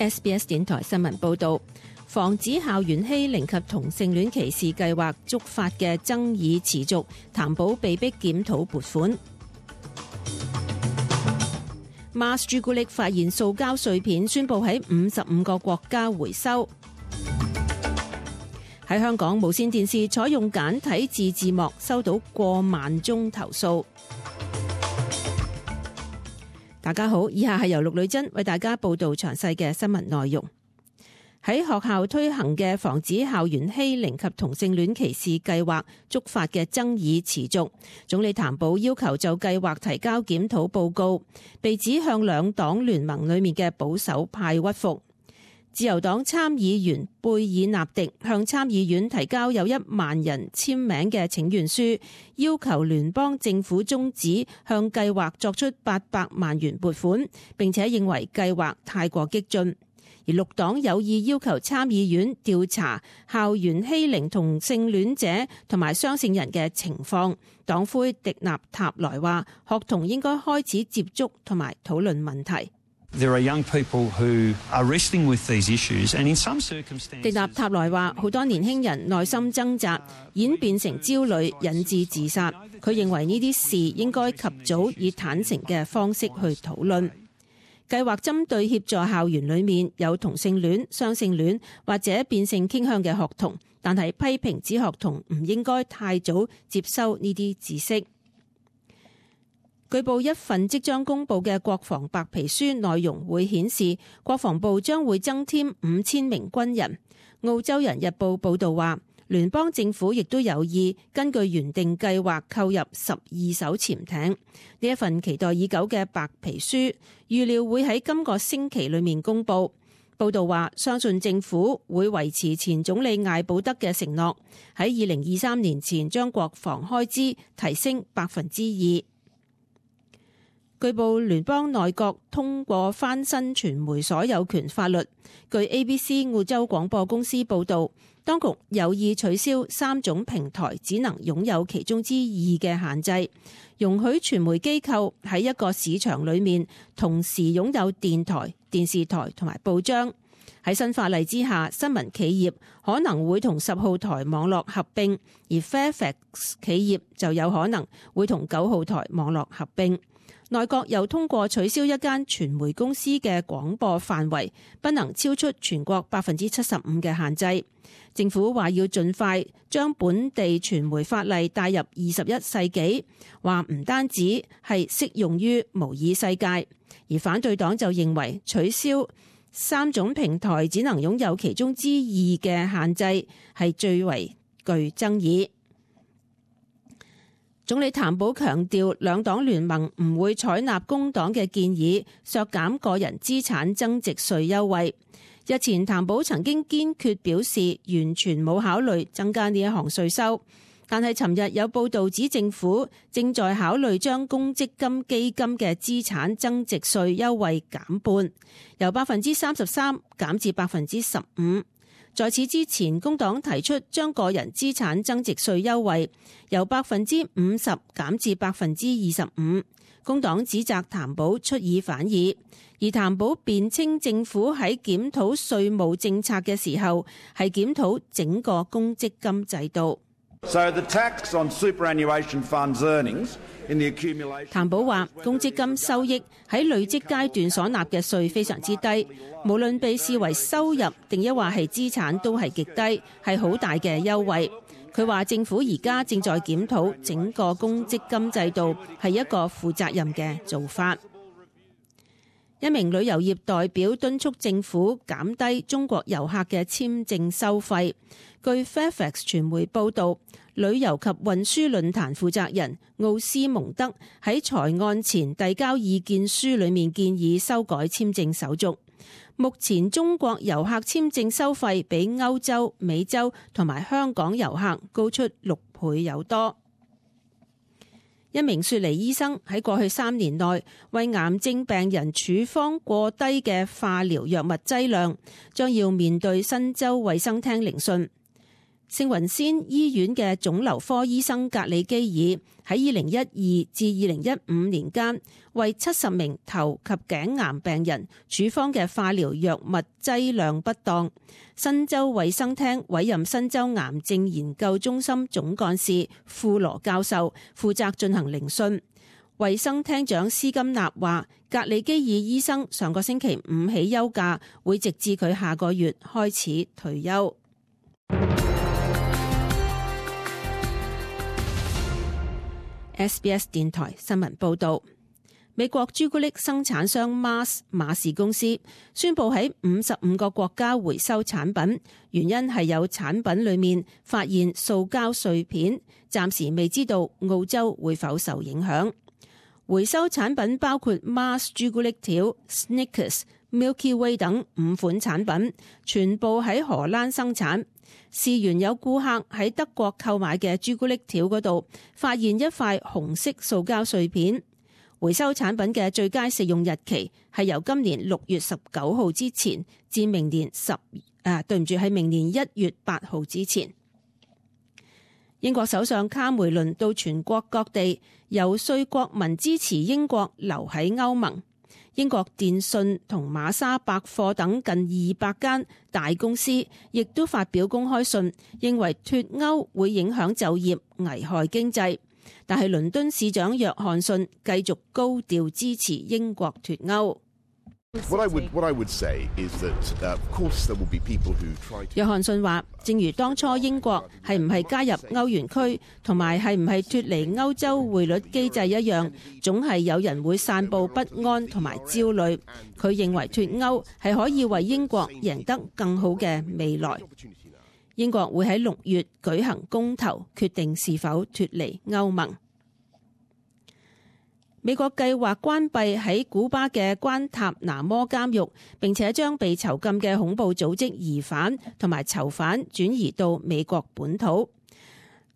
SBS 電台新聞報導，防止校園欺凌及同性戀歧視計劃觸發嘅爭議持續，譚寶被迫檢討撥款。Mars 朱古力發現塑膠碎片，宣布喺55個國家回收。喺香港，無線電視採用簡體字字幕，收到過萬宗投訴。大家好，以下係由陸女珍為大家報道詳細嘅新聞內容。喺學校推行嘅防止校園欺凌及同性戀歧視計劃觸發嘅爭議持續，總理譚寶要求就計劃提交檢討報告，被指向兩黨聯盟裏面嘅保守派屈服。自由黨參議員貝爾納迪向參議院提交有1萬人簽名嘅請願書，要求聯邦政府終止向計劃作出800萬元撥款，並且認為計劃太過激進。而綠黨有意要求參議院調查校園欺凌同性戀者同埋雙性人嘅情況。黨魁迪納塔萊話，學童應該開始接觸同埋討論問題。迪納塔萊話，好多年輕人內心掙扎，演變成焦慮，引致自殺。佢認為呢啲事應該及早以坦誠嘅方式去討論。計劃針對協助校園裏面有同性戀、雙性戀或者變性傾向嘅學童，但係批評指學童唔應該太早接收呢啲知識。據報一份即將公佈嘅國防白皮書內容會顯示，國防部將會增添5000名軍人。澳洲人日報報導話，聯邦政府亦都有意根據原定計劃購入12艘潛艇。呢一份期待已久嘅白皮書預料會喺今個星期裏面公佈。報導話，相信政府會維持前總理艾保德嘅承諾，喺2023年前將國防開支提升2%。據報聯邦內閣通過翻新傳媒所有權法律。據 ABC 澳洲廣播公司報導，當局有意取消3種平台只能擁有其中之2嘅限制，容許傳媒機構喺一個市場裏面同時擁有電台、電視台同埋報章。喺新法例之下，新聞企業可能會同10號台網絡合併，而 Fairfax 企業就有可能會同9號台網絡合併。內閣又通過取消一間傳媒公司嘅廣播範圍不能超出全國75%嘅限制。政府話要盡快將本地傳媒法例帶入21世紀，話唔單止係適用於模擬世界。而反對黨就認為取消3種平台只能擁有其中之2嘅限制係最為具爭議。總理譚寶強調，兩黨聯盟唔會採納工黨嘅建議，削減個人資產增值稅優惠。日前譚寶曾經堅決表示，完全冇考慮增加呢一項稅收。但係尋日有報導指，政府正在考慮將公積金基金嘅資產增值稅優惠減半，由33%減至15%。在此之前，工黨提出將個人資產增值稅優惠由50%減至25%。工黨指責譚寶出爾反爾，而譚寶辯稱政府喺檢討稅務政策嘅時候係檢討整個公積金制度。譚寶話，公積金收益喺累積階段所納嘅稅非常之低，無論被視為收入定抑或係資產都係極低，係好大嘅優惠。佢話政府而家正在檢討整個公積金制度，係一個負責任嘅做法。一名旅遊業代表敦促政府減低中國遊客嘅簽證收費。據 Fairfax 傳媒報導，旅遊及運輸論壇負責人奧斯蒙德喺財案前遞交意見書裏面建議修改簽證手續。目前中國遊客簽證收費比歐洲、美洲同埋香港遊客高出6倍有多。一名雪梨醫生喺過去3年內為癌症病人處方過低嘅化療藥物劑量，將要面對新州衛生廳聆訊。聖雲仙醫院嘅腫瘤科醫生格里基爾喺2012至2015年間，為70名頭及頸癌病人處方嘅化療藥物劑量不當。新州衛生廳委任新州癌症研究中心總幹事庫羅教授負責進行聆訊。衛生廳長斯金納話，格里基爾醫生上個星期5起休假，會直至佢下個月開始退休。SBS 電台新聞報道，美國朱古力生產商 Mars 馬氏公司宣布喺55個國家回收產品，原因係有產品裏面發現塑膠碎片，暫時未知道澳洲會否受影響。回收產品包括 Mars 朱古力條、Snickers、Milky Way 等5款產品，全部喺荷蘭生產。事緣有顧客喺德國購買嘅朱古力條嗰度發現一塊紅色塑膠碎片。回收產品嘅最佳食用日期係由今年6月19號之前至明年明年1月8號之前。英國首相卡梅倫到全國各地遊說國民支持英國留喺歐盟。英國電訊同瑪莎百貨等近200間大公司亦都發表公開信，認為脫歐會影響就業、危害經濟。但係倫敦市長約翰遜繼續高調支持英國脫歐。約翰遜話，正如當初英國係唔係加入歐元區同埋係唔係脫離歐洲匯率機制一樣，總係有人會散佈不安同埋焦慮。佢認為脫歐係可以為英國贏得更好嘅未來。英國會喺6月舉行公投，決定是否脫離歐盟。美國計劃關閉喺古巴嘅關塔拿摩監獄，並且將被囚禁嘅恐怖組織疑犯同埋囚犯轉移到美國本土。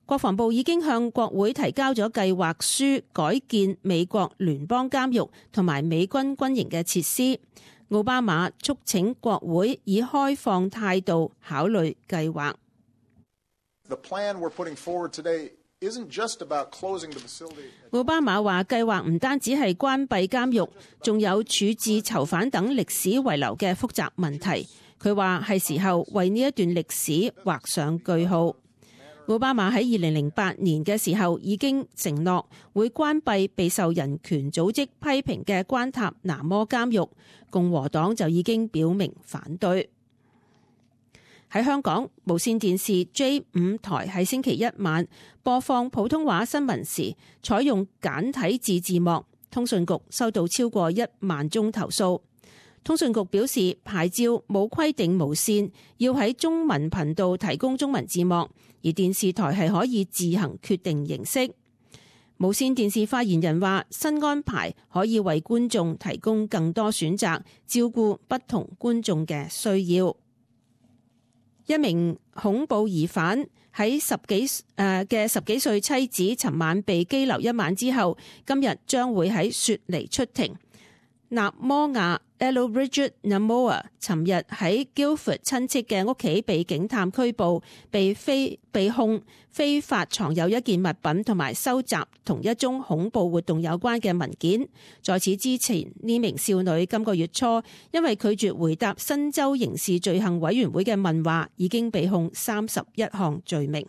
國防部已經向國會提交咗計劃書，改建美國聯邦監獄同埋美軍軍營嘅設施。奧巴馬促請國會以開放態度考慮計劃。奧巴馬話計劃唔單止係關閉監獄，仲有處置囚犯等歷史遺留嘅複雜問題。佢話係時候為呢一段歷史畫上句號。奧巴馬喺2008年嘅時候已經承諾會關閉備受人權組織批評嘅關塔拿摩監獄，共和黨就已經表明反對。喺香港，無線電視 J5 台喺星期一晚播放普通話新聞時採用簡體字幕，通訊局收到超過1萬宗投訴。通訊局表示，牌照冇規定無線要喺中文頻道提供中文字幕，而電視台係可以自行決定形式。無線電視發言人話，新安排可以為觀眾提供更多選擇，照顧不同觀眾嘅需要。一名恐怖疑犯喺十幾歲妻子尋晚被羈留1晚之後，今日將會喺雪梨出庭。納摩亞 Elbridge Namoa 尋日喺 Guildford 親戚嘅屋企被警探拘捕，被控非法藏有一件物品同埋收集同一宗恐怖活動有關嘅文件。在此之前，呢名少女今個月初因為拒絕回答新州刑事罪行委員會嘅問話，已經被控31項罪名。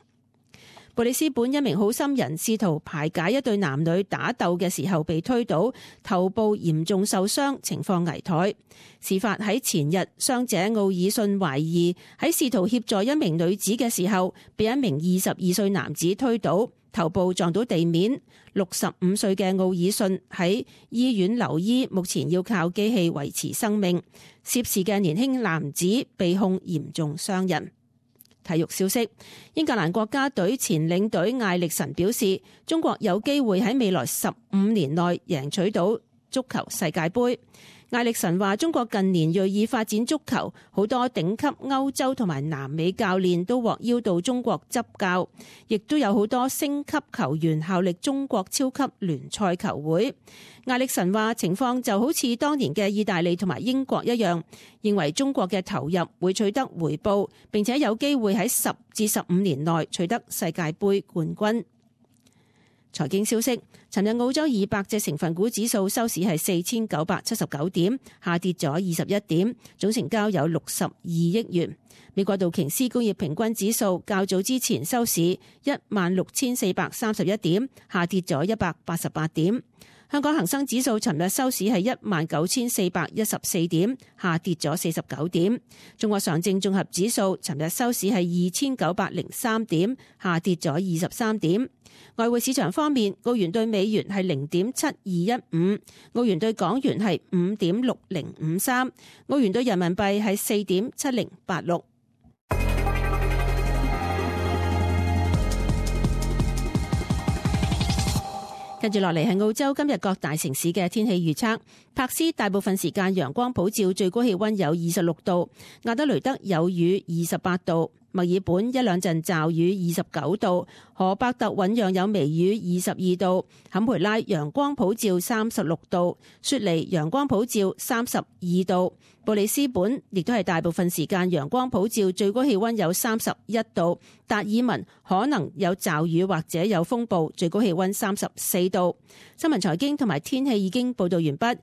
布里斯本一名好心人試圖排解一對男女打鬥嘅時候被推倒，頭部嚴重受傷，情況危殆。事發喺前日，傷者奧爾遜懷疑喺試圖協助一名女子嘅時候，被一名22歲男子推倒，頭部撞到地面。65歲嘅奧爾遜喺醫院留醫，目前要靠機器維持生命。涉事嘅年輕男子被控嚴重傷人。體育消息，英格蘭國家隊前領隊艾力神表示，中國有機會喺未來15年內贏取到足球世界盃。艾力神話：中國近年銳意發展足球，好多頂級歐洲同埋南美教練都獲邀到中國執教，亦都有好多星級球員效力中國超級聯賽球會。艾力神話情況就好似當年嘅意大利同埋英國一樣，認為中國嘅投入會取得回報，並且有機會喺10至15年內取得世界盃冠軍。財經消息，尋日澳洲200隻成分股指數收市係4979點，下跌咗21點，總成交有62億元。美國道瓊斯工業平均指數較早之前收市16431點，下跌咗188點。香港恒生指數尋日收市係19414點，下跌咗49點。中國上證綜合指數尋日收市係2903點，下跌咗23點。外匯市場方面，澳元對美元係0.7215，澳元對港元係5.6053，澳元對人民幣係4.7086。跟住落嚟係澳洲今日各大城市嘅天氣預測。柏斯大部分時間陽光普照，最高氣溫有26度；亞德雷德有雨28度；墨爾本一兩陣驟雨29度；荷伯特醞釀有微雨22度；坎培拉陽光普照36度；雪梨陽光普照32度；布里斯本亦都係大部分時間陽光普照，最高氣溫有31度；達爾文可能有驟雨或者有風暴，最高氣溫34度。新聞財經同埋天氣已經報道完畢。